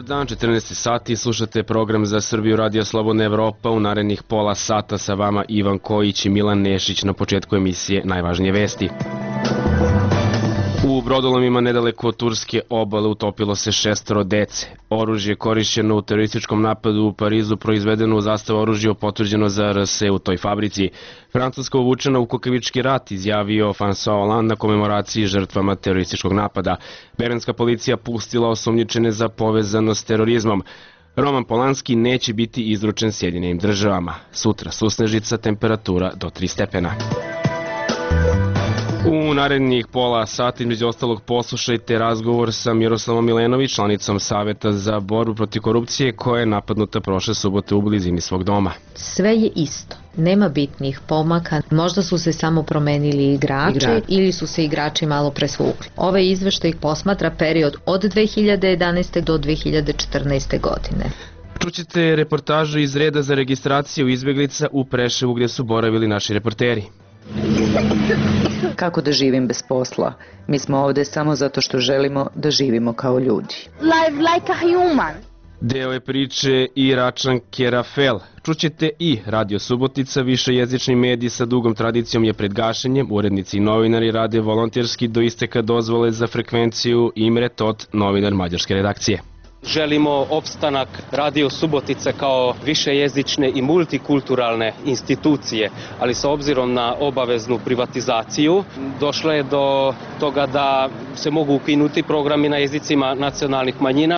dan, 14 sati, slušate program za Srbiju Radio Slobodna Evropa. U narednih pola sata sa vama Ivan Kojić i Milan Nešić. Na početku emisije najvažnije vesti. U brodolomima nedaleko od turske obale utopilo se 6 dece. Oružje korišćeno u terorističkom napadu u Parizu proizvedeno u zastavu oružja potvrđeno za RS u toj fabrici. Francuska uvučena u kukavički rat, izjavio François Hollande na komemoraciji žrtvama terorističkog napada. Berenska policija pustila osumnjičene za povezanost s terorizmom. Roman Polanski neće biti izručen Sjedinjenim državama. Sutra susnežica, temperatura do 3 stepena. U narednih pola sata, između ostalog, poslušajte razgovor sa Miroslavom Milenović, članicom Saveta za borbu protiv korupcije, koja je napadnuta prošle subote u blizini svog doma. Sve je isto. Nema bitnih pomaka, možda su se samo promenili igrači ili su se igrači malo presvukli. Ovaj izveštaj posmatra period od 2011. do 2014. godine. Čućete reportažu iz reda za registraciju izbjeglica u Preševu gdje su boravili naši reporteri. Kako da živim bez posla? Mi smo ovde samo zato što želimo da živimo kao ljudi. Live like a human. Deo je priče Iračanke Rafel. Čućete i Radio Subotica, višejezični medij sa dugom tradicijom je pred gašenjem. Urednici i novinari rade volonterski do isteka dozvole za frekvenciju. Imre Tot, novinar mađarske redakcije. Želimo opstanak Radio Subotice kao višejezične i multikulturalne institucije, ali sa obzirom na obaveznu privatizaciju došlo je do toga da se mogu ukinuti programi na jezicima nacionalnih manjina.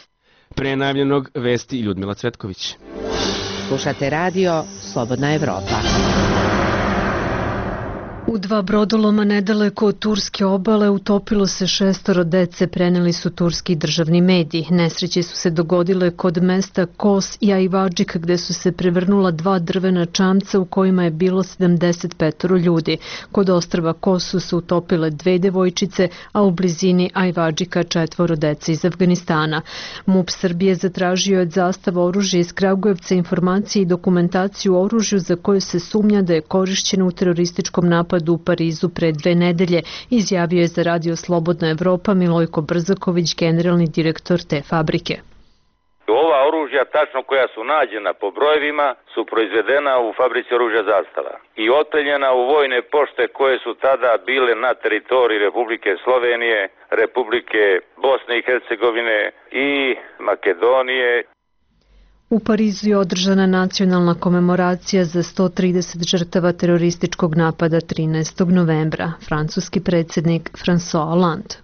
Pre najavljenog vesti Ljudmila Cvetković. Slušate radio Slobodna Evropa. U 2 brodoloma nedaleko od turske obale utopilo se 6 dece, preneli su turski državni mediji. Nesreće su se dogodile kod mesta Kos i Ajvadžik, gde su se prevrnula 2 drvena čamca u kojima je bilo 75 ljudi. Kod ostrva Kos su se utopile 2 devojčice, a u blizini Ajvadžika 4 dece iz Afganistana. MUP Srbije zatražio je od zastava oružja iz Kragujevca informacije i dokumentaciju o oružju za koje se sumnja da je korišćeno u terorističkom napadu u Parizu pre 2 nedelje, izjavio je za Radio Slobodna Evropa Milojko Brzaković, generalni direktor te fabrike. Ova oružja, tačno koja su nađena po brojevima, su proizvedena u fabrici oružja Zastava i otpeljena u vojne pošte koje su tada bile na teritoriji Republike Slovenije, Republike Bosne i Hercegovine i Makedonije. U Parizu je održana nacionalna komemoracija za 130 žrtava terorističkog napada 13. novembra. Francuski predsjednik François Hollande.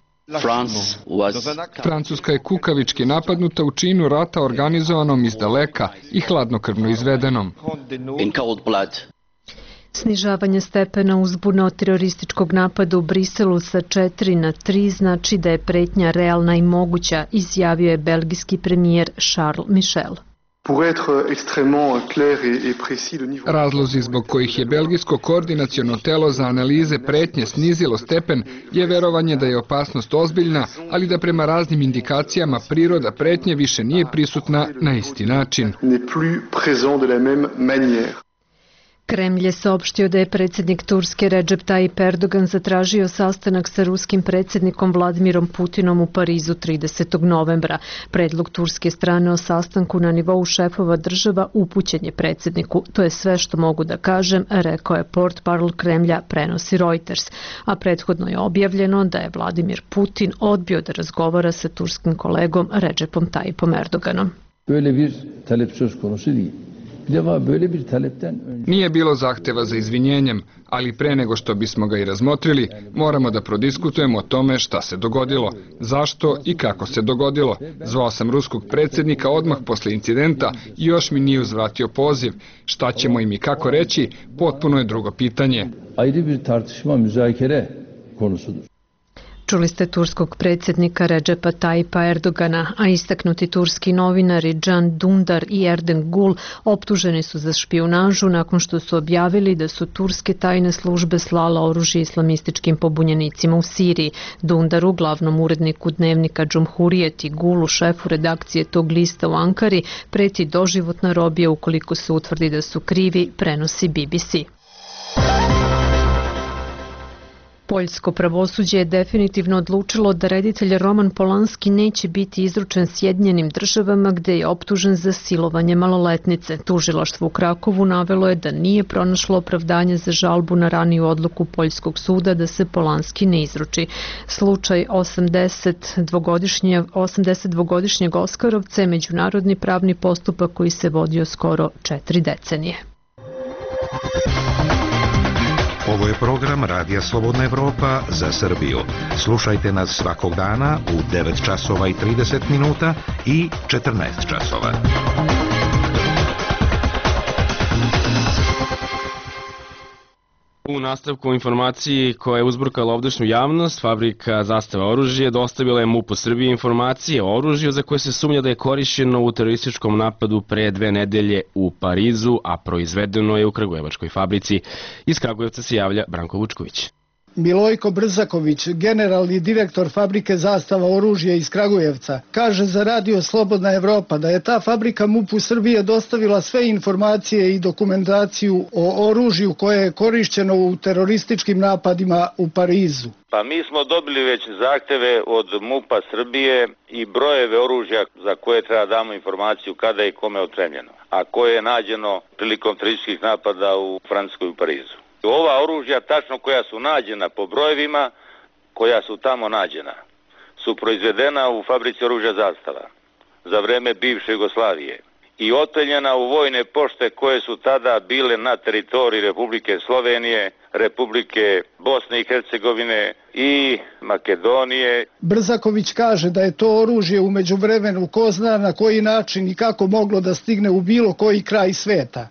Francuska je kukavički napadnuta u činu rata organizovanom iz daleka i hladnokrvno izvedenom. Snižavanje stepena uzbuna od terorističkog napada u Briselu sa 4 na 3 znači da je pretnja realna i moguća, izjavio je belgijski premijer Charles Michel. Razlozi zbog kojih je belgijsko koordinaciono telo za analize pretnje snizilo stepen je verovanje da je opasnost ozbiljna, ali da prema raznim indikacijama priroda pretnje više nije prisutna na isti način. Kremlj je saopštio da je predsjednik Turske Recep Tayyip Erdogan zatražio sastanak sa ruskim predsjednikom Vladimirom Putinom u Parizu 30. novembra. Predlog turske strane o sastanku na nivou šefova država upućen je predsjedniku. To je sve što mogu da kažem, rekao je portparol Kremlja, prenosi Reuters. A prethodno je objavljeno da je Vladimir Putin odbio da razgovara sa turskim kolegom Recepom Tayyipom Erdoganom. Nije bilo zahteva za izvinjenjem, ali pre nego što bismo ga i razmotrili, moramo da prodiskutujemo o tome šta se dogodilo, zašto i kako se dogodilo. Zvao sam ruskog predsjednika odmah posle incidenta i još mi nije uzvratio poziv. Šta ćemo im i kako reći, potpuno je drugo pitanje. Čuli ste turskog predsjednika Recepa Tayyipa Erdogana, a istaknuti turski novinari Can Dündar i Erden Gul optuženi su za špijunažu nakon što su objavili da su turske tajne službe slala oružje islamističkim pobunjenicima u Siriji. Dundaru, glavnom uredniku dnevnika Džumhurijet, i Gulu, šefu redakcije tog lista u Ankari, preti doživotna robija ukoliko se utvrdi da su krivi, prenosi BBC. Poljsko pravosuđe je definitivno odlučilo da reditelj Roman Polanski neće biti izručen Sjedinjenim Državama gde je optužen za silovanje maloletnice. Tužilaštvo u Krakovu navelo je da nije pronašlo opravdanje za žalbu na raniju odluku Poljskog suda da se Polanski ne izruči. Slučaj 82-godišnjeg Oskarovca je međunarodni pravni postupak koji se vodio skoro 4 decenije. Ovo je program Radija Slobodna Evropa za Srbiju. Slušajte nas svakog dana u 9 časova i 30 minuta i 14 časova. U nastavku informaciji koja je uzburkala ovdašnju javnost, fabrika Zastava oružje dostavila je MUP-u Srbije informacije o oružju za koje se sumnja da je korišćeno u terorističkom napadu pre 2 nedelje u Parizu, a proizvedeno je u kragujevačkoj fabrici. Iz Kragujevca se javlja Branko Vučković. Milojko Brzaković, generalni direktor fabrike Zastava oružja iz Kragujevca, kaže za Radio Slobodna Evropa da je ta fabrika MUP-u Srbije dostavila sve informacije i dokumentaciju o oružju koje je korišćeno u terorističkim napadima u Parizu. Pa mi smo dobili već zahteve od MUP-a Srbije i brojeve oružja za koje treba damo informaciju kada i kome otremljeno, a koje je nađeno prilikom terorističkih napada u Francuskoj i u Parizu. Ova oružja, tačno koja su nađena po brojevima, koja su tamo nađena, su proizvedena u fabrici oružja Zastava za vreme bivše Jugoslavije i oteljena u vojne pošte koje su tada bile na teritoriji Republike Slovenije, Republike Bosne i Hercegovine i Makedonije. Brzaković kaže da je to oružje u međuvremenu ko zna na koji način i kako moglo da stigne u bilo koji kraj sveta.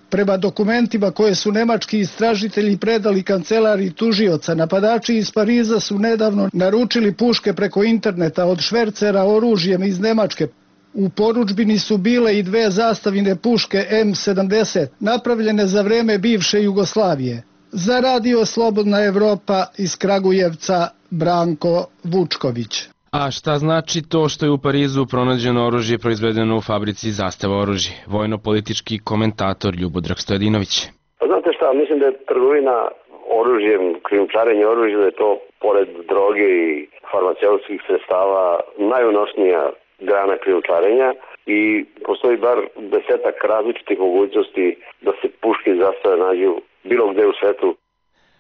Prema dokumentima koje su nemački istražitelji predali kancelariji tužioca, napadači iz Pariza su nedavno naručili puške preko interneta od švercera oružjem iz Nemačke. U porudžbini su bile i 2 zastavine puške M70, napravljene za vreme bivše Jugoslavije. Za Radio Slobodna Evropa iz Kragujevca, Branko Vučković. A šta znači to što je u Parizu pronađeno oružje proizvedeno u fabrici Zastava oružje? Vojno-politički komentator Ljubodrag Stojadinović. Znate šta, mislim da je trgovina oružjem, krijumčarenje oružja, da je to pored droge i farmaceutskih sredstava najunosnija grana krijumčarenja i postoji bar 10-ak različitih mogućnosti da se puške iz Zastave nađu bilo gde u svetu.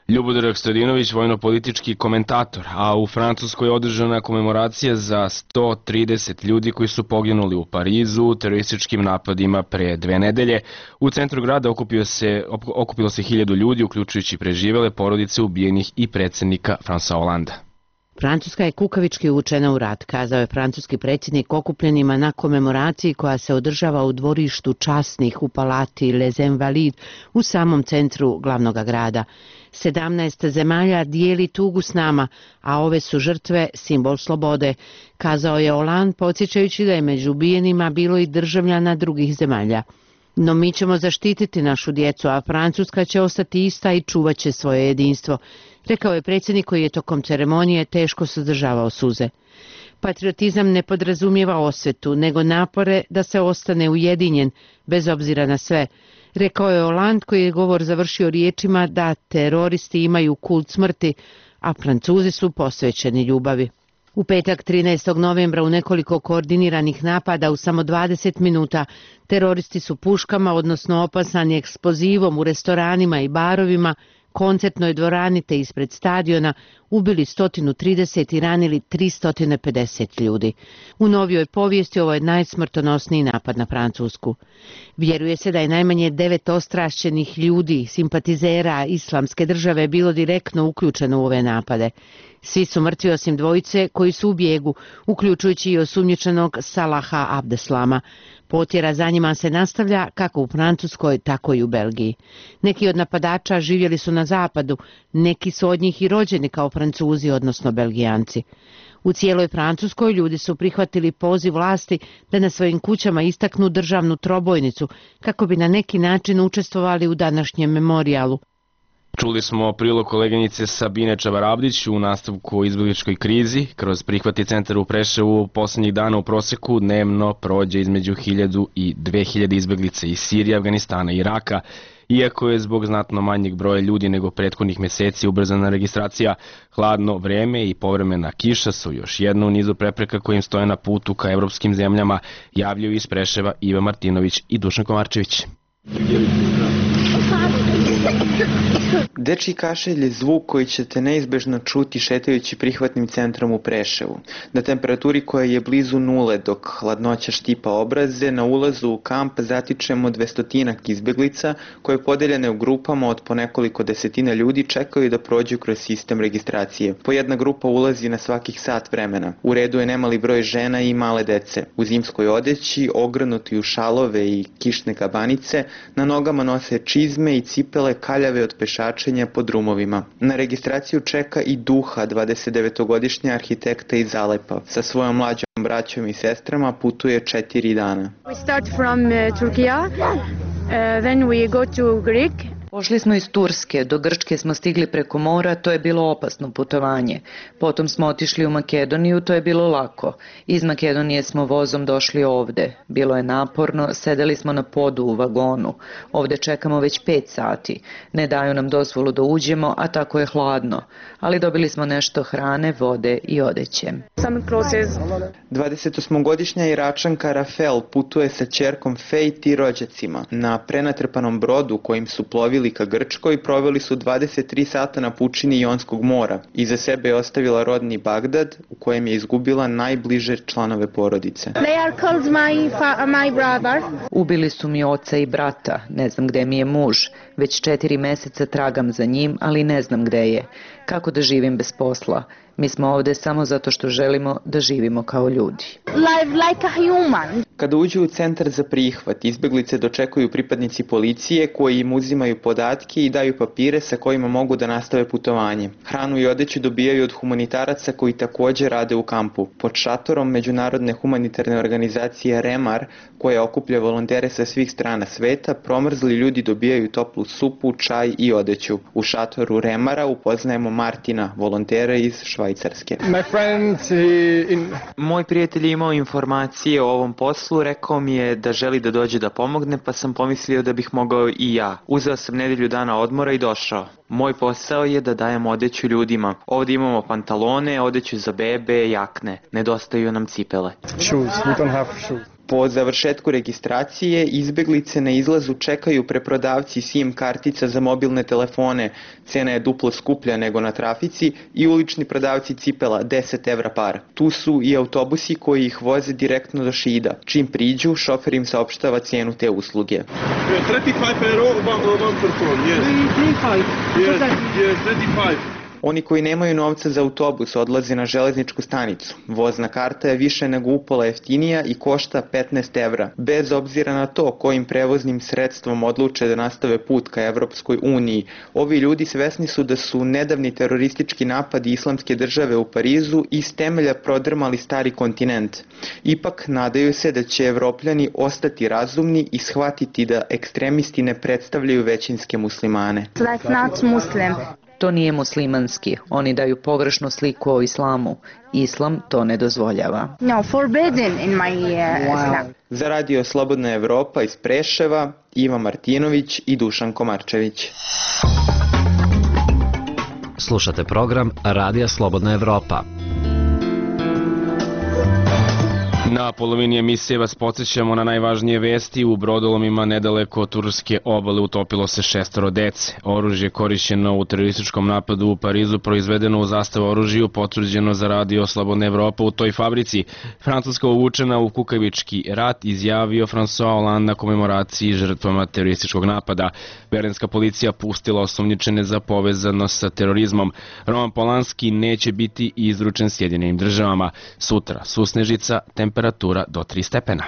Ljubodrag Stojadinović, vojno-politički komentator, a u Francuskoj je održana komemoracija za 130 ljudi koji su poginuli u Parizu u terorističkim napadima pre 2 nedelje. U centru grada okupilo se 1000 ljudi, uključujući preživele porodice ubijenih i predsjednika François Hollanda. Francuska je kukavički uvučena u rat, kazao je francuski predsjednik okupljenima na komemoraciji koja se održava u dvorištu časnih u palati Les Invalides u samom centru glavnog grada. 17 zemalja dijeli tugu s nama, a ove su žrtve simbol slobode, kazao je Hollande, podsjećajući da je među ubijenima bilo i državljana drugih zemalja. No mi ćemo zaštititi našu djecu, a Francuska će ostati ista i čuvat će svoje jedinstvo, rekao je predsjednik koji je tokom ceremonije teško suzdržavao suze. Patriotizam ne podrazumijeva osvetu, nego napore da se ostane ujedinjen, bez obzira na sve, rekao je Hollande koji je govor završio riječima da teroristi imaju kult smrti, a Francuzi su posvećeni ljubavi. U petak 13. novembra u nekoliko koordiniranih napada u samo 20 minuta teroristi su puškama, odnosno opasani eksplozivom u restoranima i barovima, koncertnoj dvorani te ispred stadiona ubili 130 i ranili 350 ljudi. U novijoj povijesti ovo je najsmrtonosniji napad na Francusku. Vjeruje se da je najmanje 9 ostrašćenih ljudi, simpatizera Islamske države, bilo direktno uključeno u ove napade. Svi su mrtvi osim dvojice koji su u bijegu, uključujući i osumnjičenog Salaha Abdeslama. Potjera za njima se nastavlja kako u Francuskoj, tako i u Belgiji. Neki od napadača živjeli su na zapadu, neki su od njih i rođeni kao Francuzi, odnosno Belgijanci. U cijeloj Francuskoj ljudi su prihvatili poziv vlasti da na svojim kućama istaknu državnu trobojnicu kako bi na neki način učestvovali u današnjem memorijalu. Čuli smo prilog koleginice Sabine Čabarabdić u nastavku o izbegličkoj krizi. Kroz prihvatni centar u Preševu poslednjih dana u proseku dnevno prođe između 1000 i 2000 izbeglica iz Sirije, Afganistana i Iraka. Iako je zbog znatno manjeg broja ljudi nego prethodnih meseci ubrzana registracija, hladno vreme i povremena kiša su još jedno u nizu prepreka kojim stoje na putu ka evropskim zemljama, javljaju iz Preševa Iva Martinović i Dušan Komarčević. Dečji kašelj je zvuk koji ćete neizbežno čuti šetajući prihvatnim centrom u Preševu. Na temperaturi koja je blizu nule dok hladnoća štipa obraze, na ulazu u kamp zatičemo 200 izbeglica koje podeljene u grupama od po nekoliko desetina ljudi čekaju da prođu kroz sistem registracije. Po jedna grupa ulazi na svakih sat vremena. U redu je nemali broj žena i male dece. U zimskoj odeći, ogrnuti u šalove i kišne kabanice, na nogama nose čizme i cipele kaljave od pešačenja po drumovima. Na registraciju čeka i Duha, 29-godišnja arhitekta iz Alepa. Sa svojom mlađom braćom i sestrama putuje 4 dana. We start from Turkey, then we go to Greek. Pošli smo iz Turske, do Grčke smo stigli preko mora, to je bilo opasno putovanje. Potom smo otišli u Makedoniju, to je bilo lako. Iz Makedonije smo vozom došli ovde. Bilo je naporno, sedeli smo na podu u vagonu. Ovde čekamo već 5 sati. Ne daju nam dozvolu da uđemo, a tako je hladno. Ali dobili smo nešto hrane, vode i odeće. 28-godišnja Iračanka Rafel putuje sa ćerkom Fejt i rođacima. Na prenatrpanom brodu kojim su plovili ka Grčkoj proveli su 23 sata na pučini Jonskog mora. Iza sebe je ostavila rodni Bagdad u kojem je izgubila najbliže članove porodice. My brother. Ubili su mi oca i brata, ne znam gde mi je muž. Već 4 meseca tragam za njim, ali ne znam gde je. Kako da živim bez posla? Mi smo ovde samo zato što želimo da živimo kao ljudi. Live like a human. Kada uđu u centar za prihvat, izbeglice dočekuju pripadnici policije koji im uzimaju podatke i daju papire sa kojima mogu da nastave putovanje. Hranu i odeću dobijaju od humanitaraca koji takođe rade u kampu. Pod šatorom međunarodne humanitarne organizacije Remar, koja okuplja volontere sa svih strana sveta, promrzli ljudi dobijaju toplu supu, čaj i odeću. U šatoru Remara upoznajemo Martina, volontera iz Švajcarske. Moj prijatelj je imao informacije o ovom poslu, rekao mi je da želi da dođe da pomogne, pa sam pomislio da bih mogao i ja. Uzeo sam nedelju dana odmora i došao. Moj posao je da dajem odeću ljudima. Ovdje imamo pantalone, odeću za bebe, jakne. Nedostaju nam cipele. Po završetku registracije, izbeglice na izlazu čekaju preprodavci SIM kartica za mobilne telefone, cena je duplo skuplja nego na trafici, i ulični prodavci cipela, 10 evra par. Tu su i autobusi koji ih voze direktno do Šida. Čim priđu, šofer im saopštava cenu te usluge. 35 euro one person, yes. 35. Oni koji nemaju novca za autobus odlaze na železničku stanicu. Vozna karta je više nego upola jeftinija i košta 15 evra. Bez obzira na to kojim prevoznim sredstvom odluče da nastave put ka Evropskoj uniji, ovi ljudi svesni su da su nedavni teroristički napadi Islamske države u Parizu iz temelja prodrmali stari kontinent. Ipak nadaju se da će Evropljani ostati razumni i shvatiti da ekstremisti ne predstavljaju većinske muslimane. That's not Muslim. To nije muslimanski. Oni daju pogrešnu sliku o islamu. Islam to ne dozvoljava. No, forbidden in my Islam. Za Radio Slobodna Evropa iz Preševa, Iva Martinović i Dušan Komarčević. Slušate program Radija Slobodna Evropa. Na polovini emisije vas podsjećamo na najvažnije vesti. U brodolomima nedaleko od turske obale utopilo se 6 dece. Oružje korišćeno u terorističkom napadu u Parizu proizvedeno u zastavu oružju potvrđeno za Radio Slobodna Evropa u toj fabrici. Francuska uvučena u kukavički rat, izjavio François Hollande na komemoraciji žrtvama terorističkog napada. Berlinska policija pustila osumnjičene za povezanost sa terorizmom. Roman Polanski neće biti izručen Sjedinjenim državama. Sutra susnežica, temperatura do 3 stepena.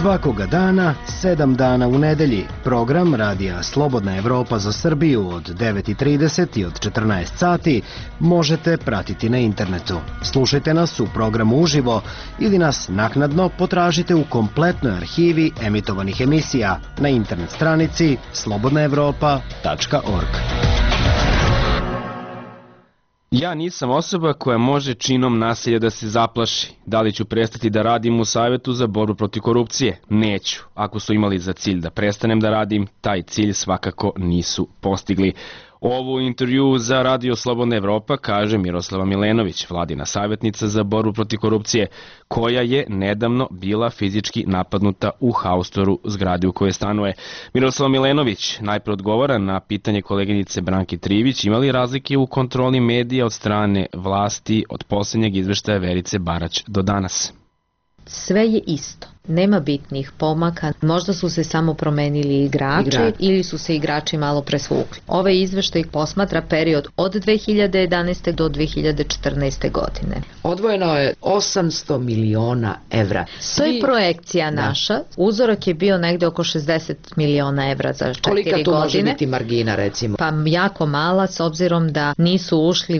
Svakoga dana, 7 dana u nedelji, program Radija Slobodna Evropa za Srbiju od 9:30 i od 14 sati možete pratiti na internetu. Slušajte nas u programu uživo ili nas naknadno potražite u kompletnoj arhivi emitovanih emisija na internet stranici slobodnaevropa.org. Ja nisam osoba koja može činom nasilja da se zaplaši. Da li ću prestati da radim u Savetu za borbu protiv korupcije? Neću. Ako su imali za cilj da prestanem da radim, taj cilj svakako nisu postigli. Ovo intervju za Radio Slobodna Evropa kaže Miroslava Milenović, vladina savjetnica za borbu protiv korupcije, koja je nedavno bila fizički napadnuta u haustoru zgrade u kojoj stanuje. Miroslava Milenović najpre odgovara na pitanje koleginice Branke Trivić, ima li razlike u kontroli medija od strane vlasti od posljednjeg izveštaja Verice Barać do danas. Sve je isto. Nema bitnih pomaka, možda su se samo promenili igrači ili su se igrači malo presvukli. Ovaj izveštaj posmatra period od 2011. do 2014. godine. Odvojeno je 800 miliona evra. To je projekcija naša. Uzorak je bio negde oko 60 miliona evra za 4 godine. Kolika tu može biti margina, recimo? Pa jako mala, s obzirom da nisu ušli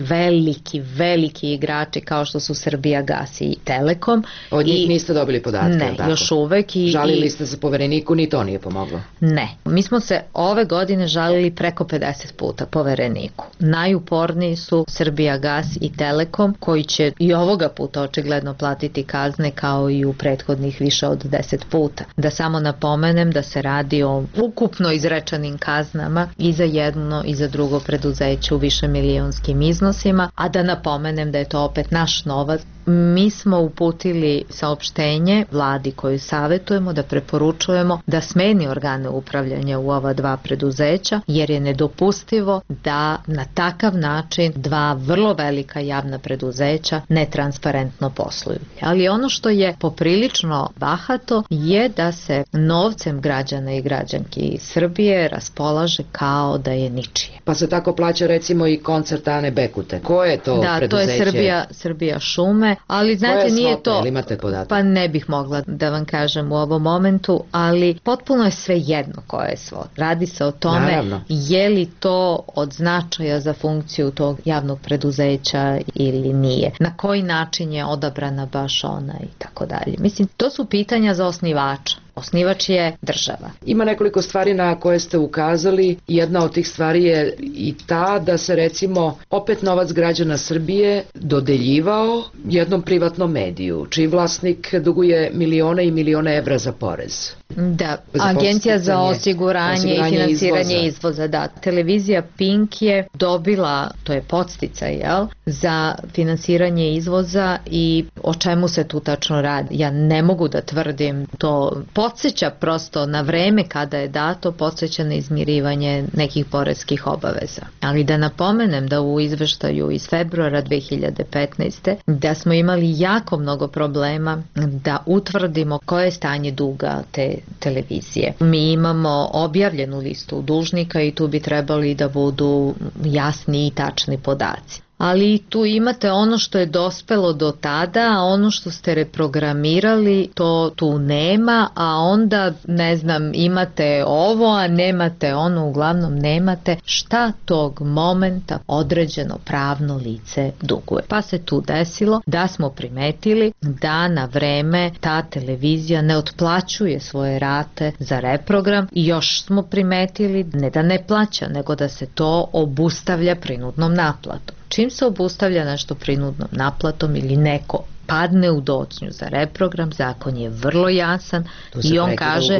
veliki igrači kao što su Srbijagas i Telekom. Od njih niste dobili podatke? Ne, još uvek. Žalili ste se Povereniku, ni to nije pomoglo? Ne. Mi smo se ove godine žalili preko 50 puta Povereniku. Najuporniji su Srbijagas i Telekom, koji će i ovoga puta očigledno platiti kazne kao i u prethodnih više od 10 puta. Da samo napomenem da se radi o ukupno izrečenim kaznama i za jedno i za drugo preduzeće u višemilijonskim iznosima, a da napomenem da je to opet naš novac. Mi smo uputili saopštenje vladi koju savjetujemo da preporučujemo da smeni organe upravljanja u ova dva preduzeća, jer je nedopustivo da na takav način dva vrlo velika javna preduzeća netransparentno posluju. Ali ono što je poprilično bahato je da se novcem građana i građanki Srbije raspolaže kao da je ničije. Pa se tako plaća recimo i koncert Ane Bekute. Ko je to preduzeće? Da, to je Srbija šume, ali znate nije to... Imate podatak? Pa ne bih mogla da vam kažem u ovom momentu, ali potpuno je sve jedno koje je svod. Radi se o tome je li to od značaja za funkciju tog javnog preduzeća ili nije. Na koji način je odabrana baš ona i tako dalje. Mislim, to su pitanja za osnivača. Osnivač je država. Ima nekoliko stvari na koje ste ukazali. Jedna od tih stvari je i ta da se recimo opet novac građana Srbije dodeljivao jednom privatnom mediju, čiji vlasnik duguje milione i milione evra za porez. Da, Agencija za osiguranje i finansiranje izvoza. Da, televizija Pink je dobila, to je podsticaj, za finansiranje izvoza i o čemu se tu tačno radi. Ja ne mogu da tvrdim, to podsjeća prosto na vreme kada je dato, podsjeća na izmirivanje nekih poreskih obaveza. Ali da napomenem da u izveštaju iz februara 2015. da smo imali jako mnogo problema da utvrdimo koje je stanje duga te televizije. Mi imamo objavljenu listu dužnika i tu bi trebali da budu jasni i tačni podaci. Ali tu imate ono što je dospelo do tada, a ono što ste reprogramirali, to tu nema, a onda, ne znam, imate ovo, a nemate ono, uglavnom nemate šta tog momenta određeno pravno lice duguje. Pa se tu desilo da smo primetili da na vreme ta televizija ne otplaćuje svoje rate za reprogram i još smo primetili ne da ne plaća, nego da se to obustavlja prinudnom naplatom. Čim se obustavlja nešto prinudnom naplatom ili neko padne u docnju za reprogram, zakon je vrlo jasan i on kaže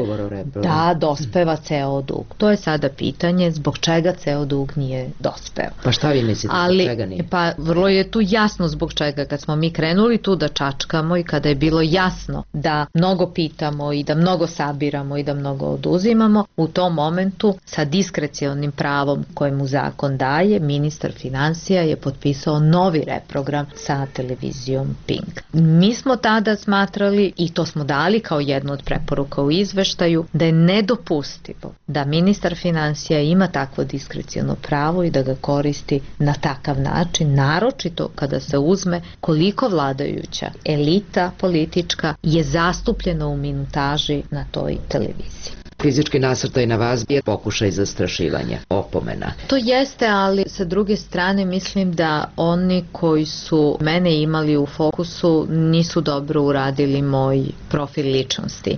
da dospeva ceo dug. To je sada pitanje zbog čega ceo dug nije dospeo. Pa šta vi mislite zbog čega nije? Pa vrlo je tu jasno zbog čega. Kad smo mi krenuli tu da čačkamo i kada je bilo jasno da mnogo pitamo i da mnogo sabiramo i da mnogo oduzimamo, u tom momentu sa diskrecionim pravom kojemu zakon daje, ministar finansija je potpisao novi reprogram sa televizijom Pink. pritisak. Mi smo tada smatrali, i to smo dali kao jednu od preporuka u izveštaju, da je nedopustivo da ministar finansija ima takvo diskreciono pravo i da ga koristi na takav način, naročito kada se uzme koliko vladajuća elita politička je zastupljena u minutaži na toj televiziji. Fizički nasrtaj na vas je pokušaj zastrašivanja, opomena. To jeste, ali sa druge strane mislim da oni koji su mene imali u fokusu nisu dobro uradili moj profil ličnosti.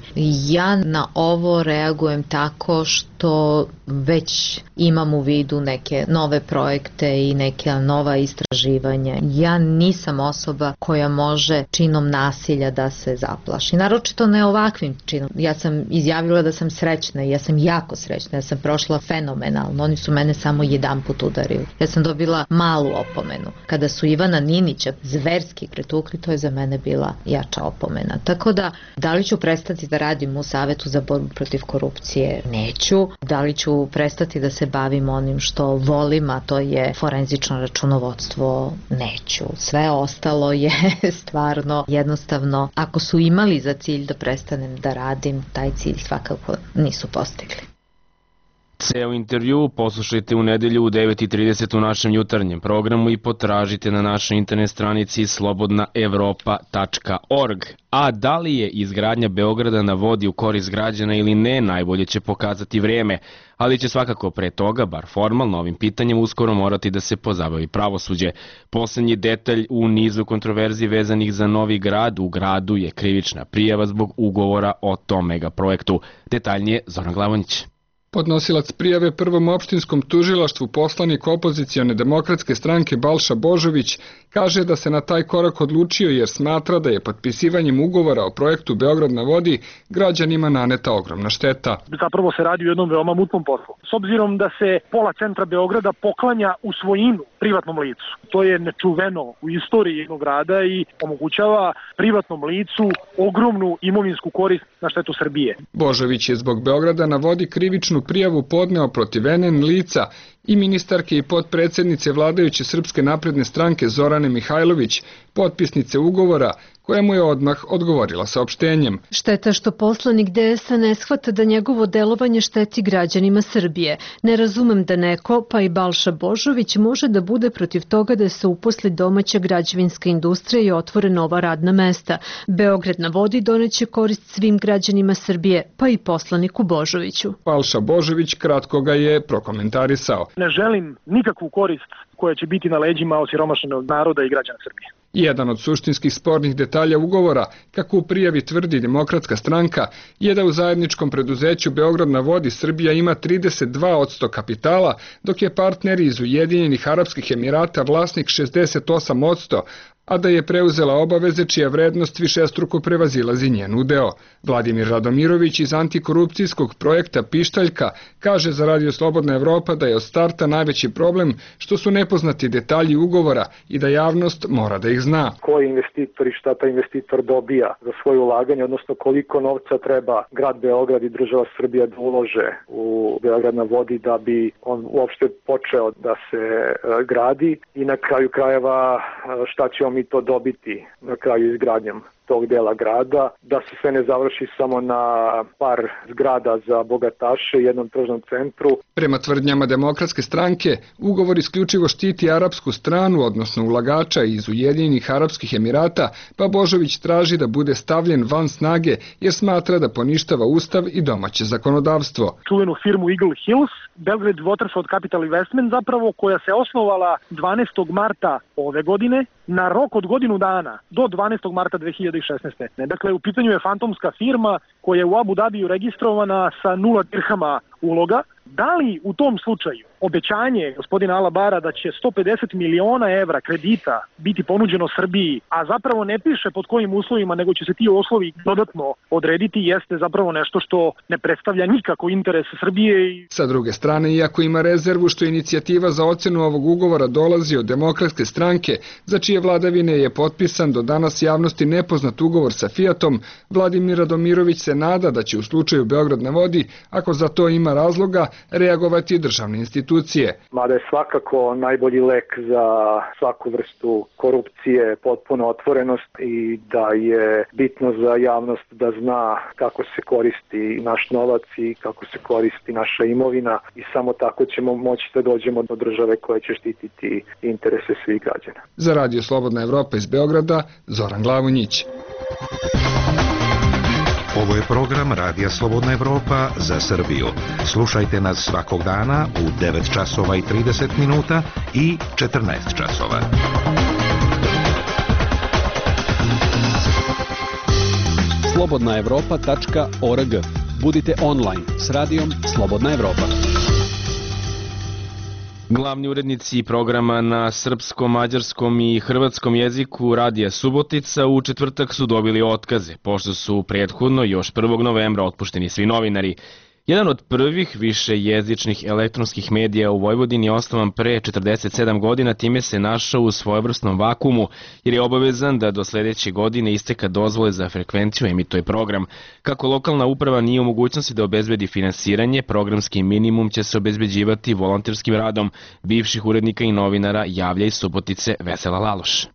Ja na ovo reagujem tako što već imam u vidu neke nove projekte i neka nova istraživanja. Ja nisam osoba koja može činom nasilja da se zaplaši. Naročito ne ovakvim činom. Ja sam izjavila da sam srećna i ja sam jako srećna. Ja sam prošla fenomenalno. Oni su mene samo jedanput udarili. Ja sam dobila malu opomenu. Kada su Ivana Ninića zverski pretukli, to je za mene bila jača opomena. Tako da li ću prestati da radim u Savetu za borbu protiv korupcije? Neću. Da li ću prestati da se bavim onim što volim, a to je forenzično računovodstvo? Neću. Sve ostalo je stvarno jednostavno, ako su imali za cilj da prestanem da radim, taj cilj svakako nisu postigli. Ceo intervju poslušajte u nedelju u 9:30 u našem jutarnjem programu i potražite na našoj internet stranici slobodnaevropa.org. A da li je izgradnja Beograda na vodi u korist građana ili ne, najbolje će pokazati vreme, ali će svakako pre toga, bar formalno, ovim pitanjem uskoro morati da se pozabavi pravosuđe. Poslednji detalj u nizu kontroverzi vezanih za Novi Grad, u gradu je krivična prijava zbog ugovora o tom megaprojektu. Detaljnije Zoran Glavonjić. Podnosilac prijave Prvom opštinskom tužilaštvu, poslanik opozicione demokratske stranke Balša Božović, kaže da se na taj korak odlučio jer smatra da je potpisivanjem ugovora o projektu Beograd na vodi građanima naneta ogromna šteta. Zapravo se radi o jednom veoma mutnom poslu. S obzirom da se pola centra Beograda poklanja u svojinu privatnom licu. To je nečuveno u istoriji jednog grada i omogućava privatnom licu ogromnu imovinsku korist na štetu Srbije. Božović je zbog Beograda na vodi krivičnu prijavu podneo protiv NN lica i ministarke i potpredsednice vladajuće Srpske napredne stranke Zorane Mihajlović, potpisnice ugovora, koja mu je odmah odgovorila saopštenjem. Šteta što poslanik DS-a ne shvata da njegovo delovanje šteti građanima Srbije. Ne razumem da neko, pa i Balša Božović, može da bude protiv toga da se uposli domaća građevinska industrija i otvore nova radna mesta. Beograd na vodi doneće korist svim građanima Srbije, pa i poslaniku Božoviću. Balša Božović kratko ga je prokomentarisao. Ne želim nikakvu korist koja će biti na leđima osiromašenog naroda i građana Srbije. Jedan od suštinskih spornih detalja ugovora, kako u prijavi tvrdi Demokratska stranka, je da u zajedničkom preduzeću Beograd na vodi Srbija ima 32% kapitala, dok je partner iz Ujedinjenih Arapskih Emirata vlasnik 68%, a da je preuzela obaveze čija vrednost višestruko prevazilazi njen udeo. Vladimir Radomirović iz antikorupcijskog projekta Pištaljka kaže za Radio Slobodna Evropa da je od starta najveći problem što su nepoznati detalji ugovora i da javnost mora da ih zna. Ko je investitor i šta taj investitor dobija za svoje ulaganje, odnosno koliko novca treba grad Beograd i država Srbija da ulože u Beograd na vodi da bi on uopšte počeo da se gradi i na kraju krajeva šta će mi to dobiti na kraju izgradnjom tog dela grada, da se sve ne završi samo na par zgrada za bogataše i jednom tržnom centru. Prema tvrdnjama Demokratske stranke, ugovor isključivo štiti arapsku stranu, odnosno ulagača iz Ujedinjenih Arapskih Emirata, pa Božović traži da bude stavljen van snage jer smatra da poništava ustav i domaće zakonodavstvo. Čuvenu firmu Eagle Hills, Belgrade Waterfront Capital Investment zapravo, koja se osnovala 12. marta ove godine, na rok od godinu dana, do 12. marta 2016. Dakle, u pitanju je fantomska firma koja je u Abu Dhabiju registrovana sa 0 dirhama uloga. Da li u tom slučaju obećanje gospodina Alabara da će 150 miliona evra kredita biti ponuđeno Srbiji, a zapravo ne piše pod kojim uslovima, nego će se ti uslovi dodatno odrediti, jeste zapravo nešto što ne predstavlja nikako interes Srbije. Sa druge strane, iako ima rezervu što inicijativa za ocenu ovog ugovora dolazi od Demokratske stranke, za čije vladavine je potpisan do danas javnosti nepoznat ugovor sa Fiatom, Vladimir Radomirović se nada da će u slučaju Beograd na vodi, ako za to ima nema razloga reagovati državne institucije. Mada je svakako najbolji lek za svaku vrstu korupcije potpuno otvorenost i da je bitno za javnost da zna kako se koristi naš novac i kako se koristi naša imovina i samo tako ćemo moći da dođemo do države koja će štititi interese svih građana. Za Radio Slobodna Evropa iz Beograda, Zoran Glavonjić. Ovo je program Radija Slobodna Evropa za Srbiju. Slušajte nas svakog dana u 9 časova i 30 minuta i 14 časova. slobodnaevropa.org. Budite online s radijom Slobodna Evropa. Glavni urednici programa na srpskom, mađarskom i hrvatskom jeziku Radija Subotica u četvrtak su dobili otkaze, pošto su prethodno još 1. novembra otpušteni svi novinari. Jedan od prvih višejezičnih elektronskih medija u Vojvodini je osnovan pre 47 godina, time se našao u svojevrsnom vakumu, jer je obavezan da do sledeće godine isteka dozvole za frekvenciju emituje program. Kako lokalna uprava nije u mogućnosti da obezbedi finansiranje, programski minimum će se obezbeđivati volonterskim radom bivših urednika i novinara, javlja iz Subotice Vesela Laloš.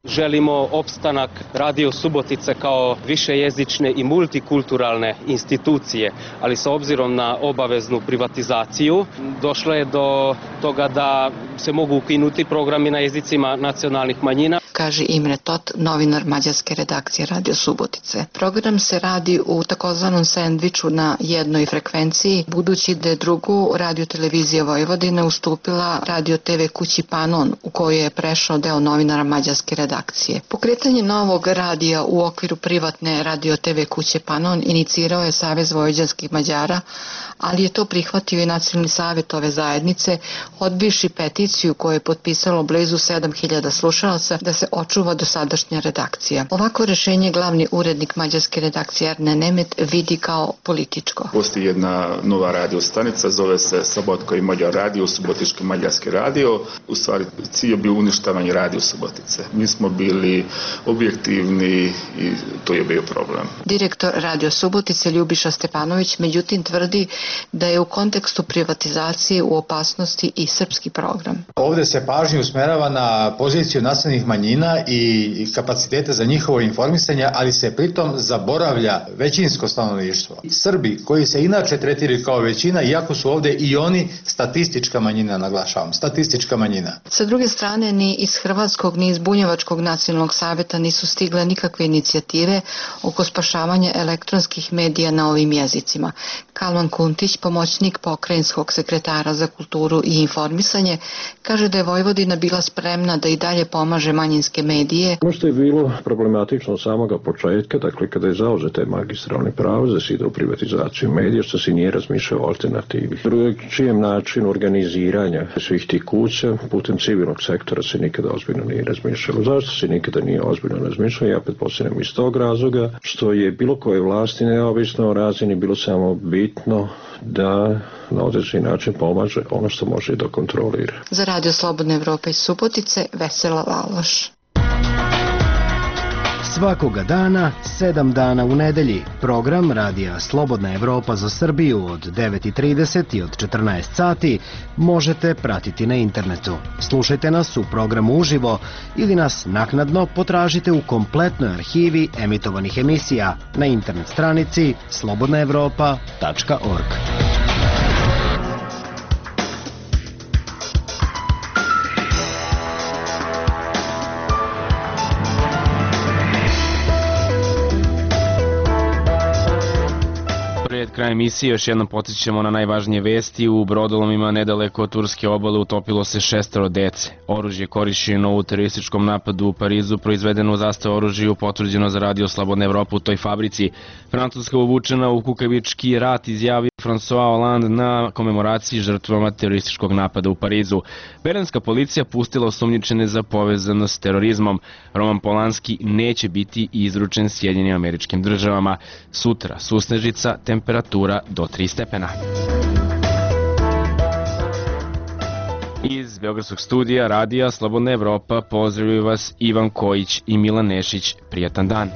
Želimo opstanak Radio Subotice kao višejezične i multikulturalne institucije, ali sa obzirom na obaveznu privatizaciju došlo je do toga da se mogu ukinuti programi na jezicima nacionalnih manjina. Kaže Imre Tot, novinar mađarske redakcije Radio Subotice. Program se radi u takozvanom sendviču na jednoj frekvenciji, budući da je drugu radiotelevizija Vojvodine ustupila Radio TV kući Panon, u kojoj je prešao deo novinara mađarske redakcije. Pokretanje novog radija u okviru privatne Radio TV kuće Panon inicirao je Savez vojvođanskih Mađara, ali je to prihvatio i Nacionalni savjet ove zajednice, odbivši peticiju koju je potpisalo blizu 7000 slušalaca da se očuva dosadašnja redakcija. Ovako rešenje glavni urednik mađarske redakcije Erne Nemet vidi kao političko. Postoji jedna nova radio stanica, zove se Sobotko i Mađar radio, Subotički mađarski radio. U stvari cilj je bio uništavanje Radio Subotice. Mi smo bili objektivni i to je bio problem. Direktor Radio Subotice Ljubiša Stepanović međutim tvrdi da je u kontekstu privatizacije u opasnosti i srpski program. Ovde se pažnja usmerava na poziciju nacionalnih manjina i kapacitete za njihovo informisanje, ali se pritom zaboravlja većinsko stanovništvo. Srbi koji se inače tretiraju kao većina, iako su ovde i oni statistička manjina, naglašavam, statistička manjina. Sa druge strane, ni iz Hrvatskog ni iz Bunjevačkog nacionalnog savjeta nisu stigle nikakve inicijative oko spašavanja elektronskih medija na ovim jezicima. Kalman Kuntić, pomoćnik pokrajinskog sekretara za kulturu i informisanje, kaže da je Vojvodina bila spremna da i dalje pomaže manjinske medije. Ono što je bilo problematično od samoga početka, dakle kada je zauzete magistralne pravo da se ide u privatizaciju medija, što se nije razmišljao o alternativi. Drugačijem načinu organiziranja svih tih kuća putem civilnog sektora se nikada ozbiljno nije razmišljalo. Zašto se nikada nije ozbiljno razmišljalo? Ja pretpostavljam iz tog razloga što je bilo koje vlasti neovisno o razini bilo samo bitno da na određeni način pomaže ono što može da kontrolira. Za Radio Slobodna Evropa iz Subotice, Vesela Laloš. Svakoga dana, 7 dana u nedelji, program Radija Slobodna Evropa za Srbiju od 9:30 i od 14 sati možete pratiti na internetu. Slušajte nas u programu uživo ili nas naknadno potražite u kompletnoj arhivi emitovanih emisija na internet stranici slobodnaevropa.org. Pred krajem emisije još jednom podsjećamo na najvažnije vesti. U brodolomima nedaleko od turske obale utopilo se 6 dece. Oružje korišćeno u terorističkom napadu u Parizu, proizvedeno u zastavu oružju, potvrđeno za Radio Slobodna Evropa u toj fabrici. Francuska uvučena u kukavički rat, izjavio François Hollande na komemoraciji žrtvama terorističkog napada u Parizu. Berlinska policija pustila osumnjičene za povezanost s terorizmom. Roman Polanski neće biti izručen Sjedinjenim Američkim Državama. Sutra susnežica, temperatura do 3 stepena. Iz Beogradskog studija Radija Slobodna Evropa pozdravljaju vas Ivan Kojić i Milan Nešić. Prijatan dan.